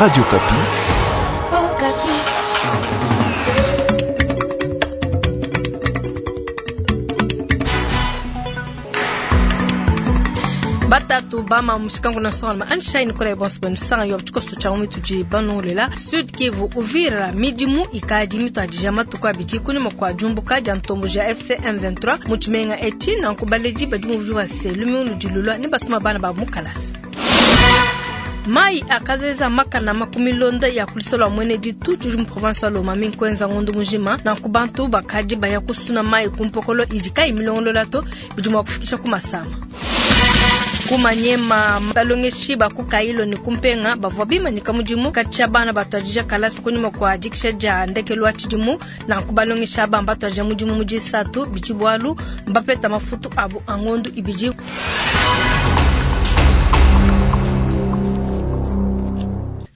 Radio Okapi. Batatu bama mushikangu na songa anshine kola bonso benu sanga yo tshikoso tsha mu tudi banongolela Sud Kivu Uvira midimu ikadi mituadija matuku abidi kunyima kua diumbuka dia ntombo ja FC M23 mu tshimenga etshi nanku baledi badi mu Uvira se lumingu ludi lulua ne batuma bana ba mu kalasa. Mai akazeza makana makumilonda ya kulisola mwene ditu tudi mu province wa Lomami nkwenza ngondu mujima nanku bantu bakadi baya kusuna mai kumpokolo idi kayi milongolola to bidi mua kufikisha ku masama. Kumanyema balongeshi ba ku Kailo ne kumpenga bavua bimanyika mudimu katshia bana batuadija kalasa kunyima kua dikisha dia ndekelu wa tshidimu nanku balongesha aba mbatuadija mudimu mu disatu bidi bualu mbapeta mafutu abu a ngondu ibidi.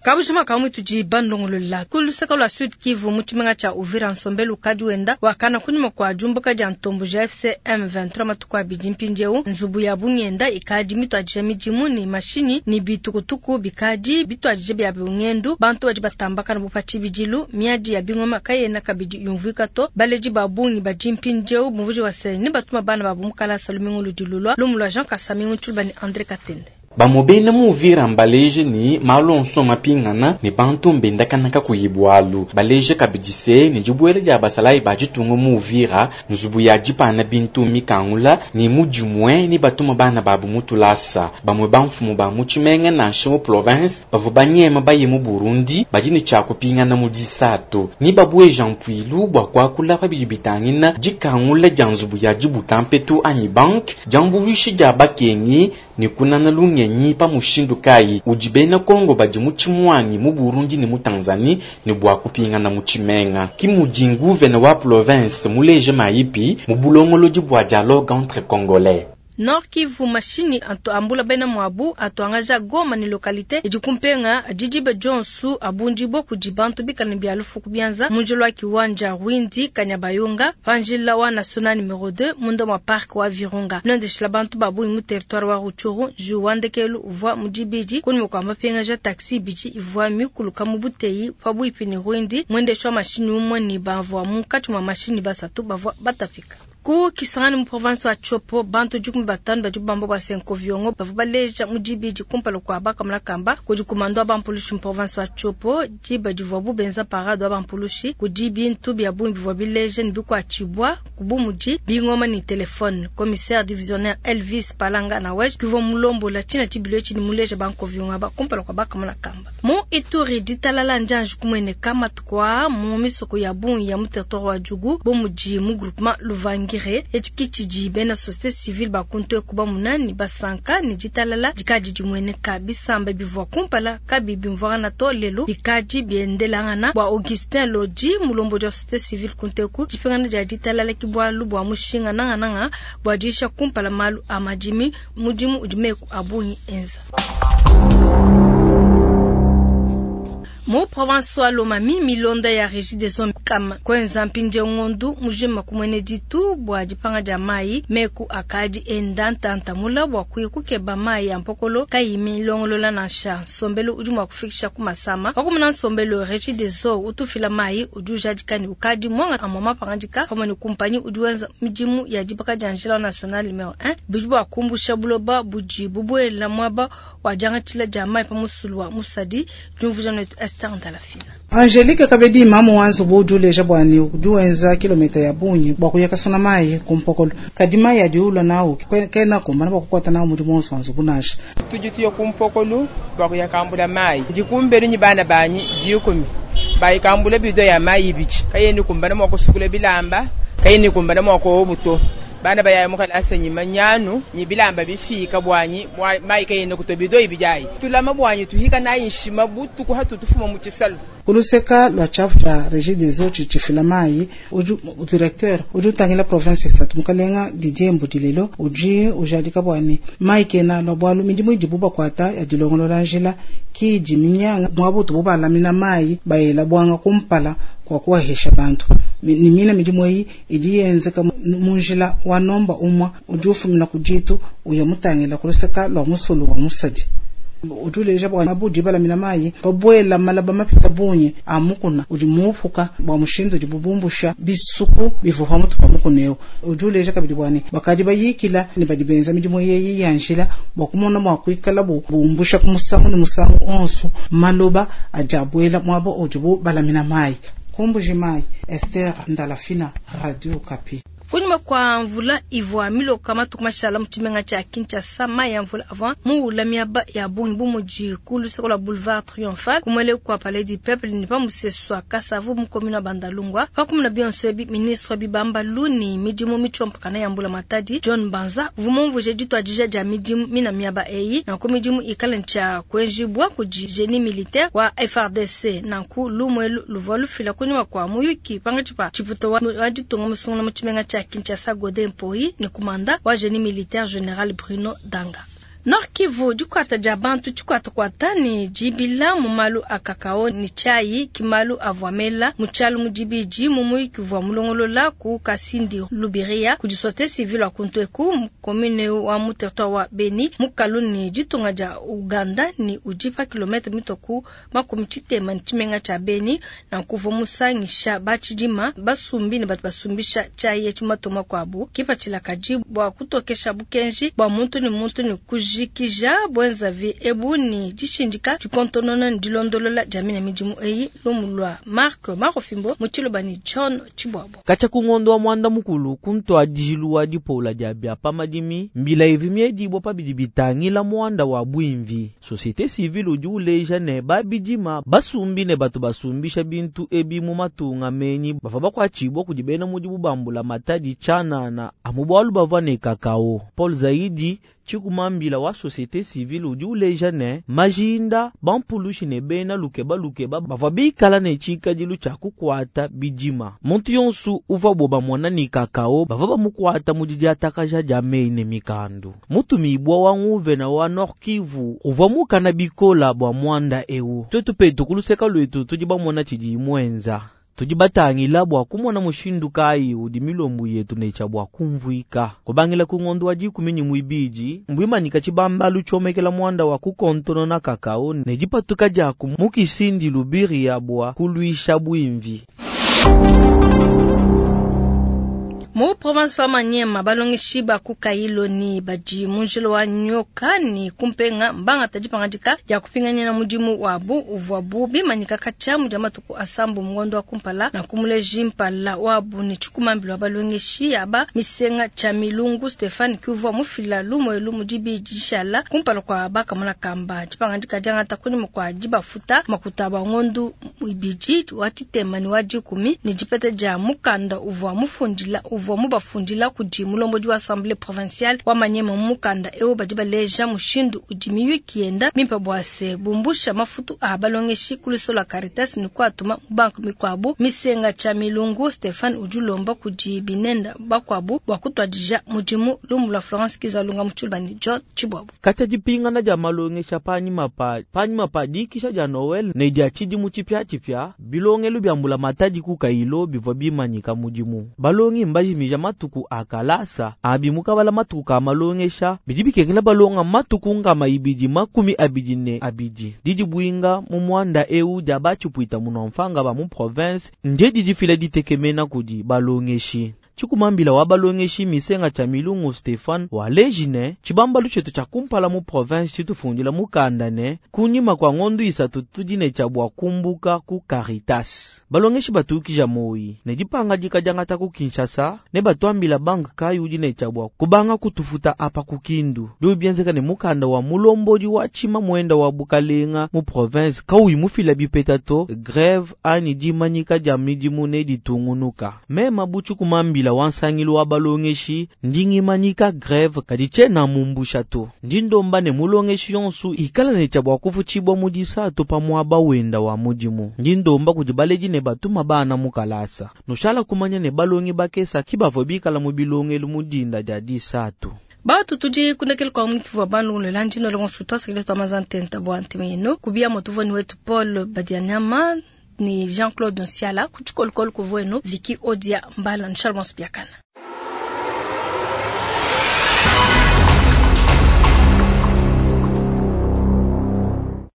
Kabujima kamwe tudi bandongolola ku luseke lua Sud Kivu mu tshimenga tshia Uvira nsombelu ukadi wenda wakana kunyima kua diumbuka dia ntombo ja FC M23 matuku abidi mpindieu nzubu ya bungenda ikadi mituadija midimu ne mashinyi ne bitukutuku bikadi bituadija bia bungendu bantu badi batambakana bu pa tshibidilu miadi ya bingoma kayena kabidi yumvuika to baledi ba bungi badi mpindieu bumvuji wa se ne batuma bana babu mu kalasa lumingu ludi lulua lumu lua Jean Kasami Ntshuluba ne André Katende. Bamwe bena mu Uvira mbaleje ni malu onso mapingana ne bantu mbendakana kakuyi bualu baleje kabidi se ne dibuela dia basalayi ba ditunga mu Uvira nzubu ya dipana bintu mikangula ne mudimue ne batuma bana babu mu tulasa. Bamwe bamfumu ba mu tshimenga nansha mu province bavua banyema baye mu Burundi badi ne tshia kupingana mu disatu ni babueja mpuilu bua kuakula pa bidi bitangila dikangula dia nzubu ya dibuta mpetu anyi banque diambuluishi dia bakengi ne kunana lungenyi pa mushindu kayi udi bena Kongo badi mu tshimuangi mu Burundi ne mu Tanzanie ne bua kupingana mu tshimenga. Ki mudi nguvene wa province muleje mayipi mu bulongolodi bua dialogue entre congolais. Nord Kivu mashinyi atu ambula bena muabu atuangaja Goma ne localité idi kumpenga didiba Jonsu abundibo kudi bantu bikala bia lufu bianza munjilo wa kiwanja Rwindi Kanyabayonga panjila wa national numero 2 munda mwa parc wa Virunga nondeshila bantu babu mu territoire wa Rutshuru juwandekelu uvua mudibidi kunyima kua mapengaja taxi bidi ivua mikuluka mu buteyi pabuipi ne Rwindi mwendesha wa mashinyi umwe ne bavua munkatshi mwa mashinyi basatu bavua batapika. Ku Kisangani mu province wa Tshopo bantu 15 badi bamba bua senko viongo bavua baleja mu dibidi kumpala kua bakamuna kamba kudi kumando wa bampulushi mu province wa Tshopo diba divuabu benza parade wa bampulushi kudi bintu bia bungi bivua bileja ne bikuatshibua kubu mudi bingoma ne telefone. Commissaire divisionnaire Elvis Palanga na wej kivua mulombola tshina tshibilu etshi ne muleja banko viongo aba kumpala kua bakamuna kamba. Mu Ituri ditalala njanji kumueneka matuku aa mu misoko ya bungi ya mu territoire wa Djugu bo mudi mu groupement Luvangire etshi tshidi bena société civile bakuntu ekuba munani basanka ne ditalala dikadi dimueneka bisamba bivua kumpala kabi bimvuangana to lelo bikadi biendelangana bua Augustin Lodi mulombo wa société civile kunteku dipingana dia ditalala ki bualu bua mushinga nangananga bua disha kumpala malu a madimi mudimu udi meku abungi enza. Mu province wa Lomami milonda ya régie des eaux kama kwenza mpindie ngondu mujima kumwene ditu bua dipanga dia mai meku akadi enda ntanta mula bua kuya kukeba mai ya mpokolo kayi milongolola nansha nsombelu udi mua kufikisha ku masama wakumuna nsombelu régie des eaux utufila mai udi ujadika ne ukadi mwanga amwa mapangadika pamue ne kumpanyi udi wenza midimu ya dibaka dia njila national numero 1 bidi bua kumbusha buloba budi bubuela muaba wa diangatshila dia mai pa musulu wa musadi diumvuija netu Esther Ndalafina. Angelique Kabedi mamu wa nzubu udi uleja bua ne udi wenza kilomita ya bungi bua kuya kasona mayi ku mpokolo kadi mayi adi ulua nawu kena kumbana bua kukuata nawu mudimu wonso wa nzubu nansha. Tudi tuya ku mpokolo bua kuya kambula mayi ndi kumbelu ni bana banyi 10 bayikambula bido ya mayi ibidi kayeni kumbana mua kusukula bilamba kayeni kumbana mua kuowa buto bana bayaya mukalasa nyima nyanu nyi bilamba bifika bwanyi mayi kayeni kuto bido ibidi ayi tulama bwanyi tuhika nayi nshima butuku hatu tufuma mu tshisalu. Kuluseka lua tshiapu tshia régie des eaux tshifila mayi udi directeur udi utangila province isatu mukalenga Didier Mbudilelo udi ujadika bua ne mayi kena lua bualu midimu idibu bakuata ya dilongolola njila ki idi minyanga muaba utubu balamina mayi bayela buanga kumpala kua kuwahesha bantu ni mina midimu eyi idi yenzeka mu njila wa nomba umwa udi ufumina ku ditu uya mutangila kuluseka lua musulu wa musadi. Udi uleja bua mabudi balamina mayi babuela malaba mapita bungi a mukuna udi muupuka bua mushindu udibu bumbusha bisuku bivua pamutu pa mukuna eu. Udi uleja kabidi bua ne bakadi bayikila ne badi benza midimu yeyi ya njila bua kumona mua kuikalabu bumbusha ku musangu ne musangu onso maloba adi abuela muaba udibu balamina mayi. Ku Mbuji-Mayi, Esther Ndalafina, Radio Okapi. Kunyima kua mvula ivua miloka matuku mashala mu tshimenga tshia Kinshasa, mayi a mvula avua muwula miaba ya bungi bu mudi ku luseke lua Boulevard Triomphal, ku muelelu kua Palais du Peuple ne pa musesu wa Kasavu mu commune wa Bandalungwa. Pa kumona bionso ebi, ministre wa bibambalu ne midimu mitshiompakana ya Mbula Matadi, John Banza, uvua mumvuije dituadija dia midimu mina miaba eyi, nanku midimu ikale ne tshia kuenjibua kudi genie militaire wa FARDC. Nanku lumu elu luvua lufila kunyima kua muyuki pankatshi pa tshipuita wa ditunga musungula mu tshimenga tshia Kinshasa Gode Mpoyi ne kumanda wa genie militaire General Bruno Danga. Nord Kivu, dikuata dia bantu tshikuatakuata ne dibila mu malu a kakao ne tshiayi ki malu avua mela mu tshialu mu dibidi mu muyuki uvua mulongolola ku Kasindi Lubiria kudi societe civile wa kuntu eku mu commune wa mu territoire wa Beni mukalu ne ditunga dia Ouganda ne udi pa kilometre mitua ku 60 ne tshimenga tshia Beni. Nanku uvua musangisha ba tshidima, basumbi ne batu basumbisha tshiayi etshi mu matunga makuabu. Kipatshila kadi bua kutokesha bukenji bua muntu ne muntu ne kujikija buenzavi ebu ne dishindika dikontonona ne dilondolola dia mine midimu eyi. Lumu lua Marc Marofimbo mu tshiluba ne John Tshibuabua. Katshia ku ngondo wa muanda mukulu ku ntuadijilu wa dipola dia bia pa madimi, mbila ivua miedibua pa bidi bitangila muanda wa buimvi. Societe civile udi uleja ne ba bidima, basumbi ne batu basumbisha bintu ebi mu matunga menyi bavua bakuatshibua kudi bena mudimu ba mbulamatadi tshianana amu bualu bavua ne kakao. Paul Zaidi, tshikumambila wa societe civile udi uleja ne majinda, bampulushi ne bena lukebalukeba bavua bikala ne tshikadilu tshia kukuata bidima. Muntu yonsu uvuabu bamona ne kakao bavua bamukuata mu didiatakaja dia meyi ne mikandu. Mutumibua wa nguvena wa Nord Kivu uvua mukana bikola bua muanda eu. Tuetu petu ku luseka luetu tudi bamona tshidi muenza. Tudi batangila bua kumona mushindu kayi udi milombu yetu ne tshia bua kumvuika. Kubangila ku ngondo wa 12, mbuimanyika tshibambalu tshiomekela muanda wa kukontonona kakao ne dipatuka dia ku mu Kisindi Lubiria bua kuluisha buimvi. Mu province wa Maniema, balongeshi ba ku Kailo ne badi mu njila wa Nyoka ne kumpenga mbangata dipangadika dia kupinganyina mudimu wabu uvuabu bimanyika katshia mu dia matuku asambu mu ngondo wa kumpala na kumuleji mpala wabu ne tshikumambilo wa balongeshi aba misenga tshia Milungu Stephane kiuvua mufila lumu elu mu dibidi dishala kumpala kua bakamona kamba. Dipangadika diangata kunyima kua dibafuta makuta ba ngondo ibidi wa tshitema ne wa dikumi ne dipeta dia mukanda uvua mufundila uvua mubafundila kudi mulombodi wa assemblée provinciale wa Maniema. Mu mukanda eu badi baleja mushindu udi miyuki yenda mimpe bua se bumbusha mafutu a balongeshi ku luso lua Caritas ne kuatuma mu banque mikuabu. Misenga tshia Milungu Stephane udi ulomba kudi binenda bakuabu bua kutuadija mudimu. Lumu lua Florence Kizalunga mu tshiluba ne John Tshibuabua. Katshia dipingana dia malongesha panyima pa dikisha dia Noël ne dia tshidimu tshipiatshipia, bilongelu bia mbulamatadi ku Kailo bivua bimanyika mudimu. Balongi mbajimija matuku a kalasa abi mukabala matuku ka malongesha bidi bikengela balonga matuku 222. Didi buinga mu muanda eu dia batshipuita munomfanga ba mu province nde didi fila ditekemena kudi balongeshi. Tshikumambila wa balongeshi misenga tshia Milungu Stephane wa lejine tshibambalu tshietu tshia kumpala mu province tshitufundila mukanda ne kunyima kua ngondo isatu tudi ne tshia bua kumbuka ku Caritas. Balongeshi batukija moyi ne dipangadika diangata ku Kinshasa ne batuambila banque kayi udi ne tshia bua kubanga kutufuta apa ku Kindu. Biu bienzeka ne mukanda wa mulombodi wa tshima muenda wa bukalenga mu province kauyi mufila bipeta to grève anyi dimanyika dia midimu ne ditungunuka. Mema bu tshikumambila wansangilu wa balongeshi ndingimanyika grève kadi tshiena mumbusha to. Ndi ndomba ne mulongeshi yonsu ikala ne tshia bua kufutshibua mu disatu pa muaba wenda wa mudimu. Ndi ndomba kudi baledi ne batuma bana mu kalasa. Nushala kumanya ne balongi bakesa ki bavua bikala mu bilongelu mu dinda dia disatu. Batu tudi kundekele kwa mwitu wa bandu landi no longo sutwa sekele twa mazantenta bwa ntemeno kubia motuvo ni wetu Paul Badianyama ni Jean-Claude Nsiala kuchikolokolo kuvueno Vicky Odia Mbala Nshalmos Biakana.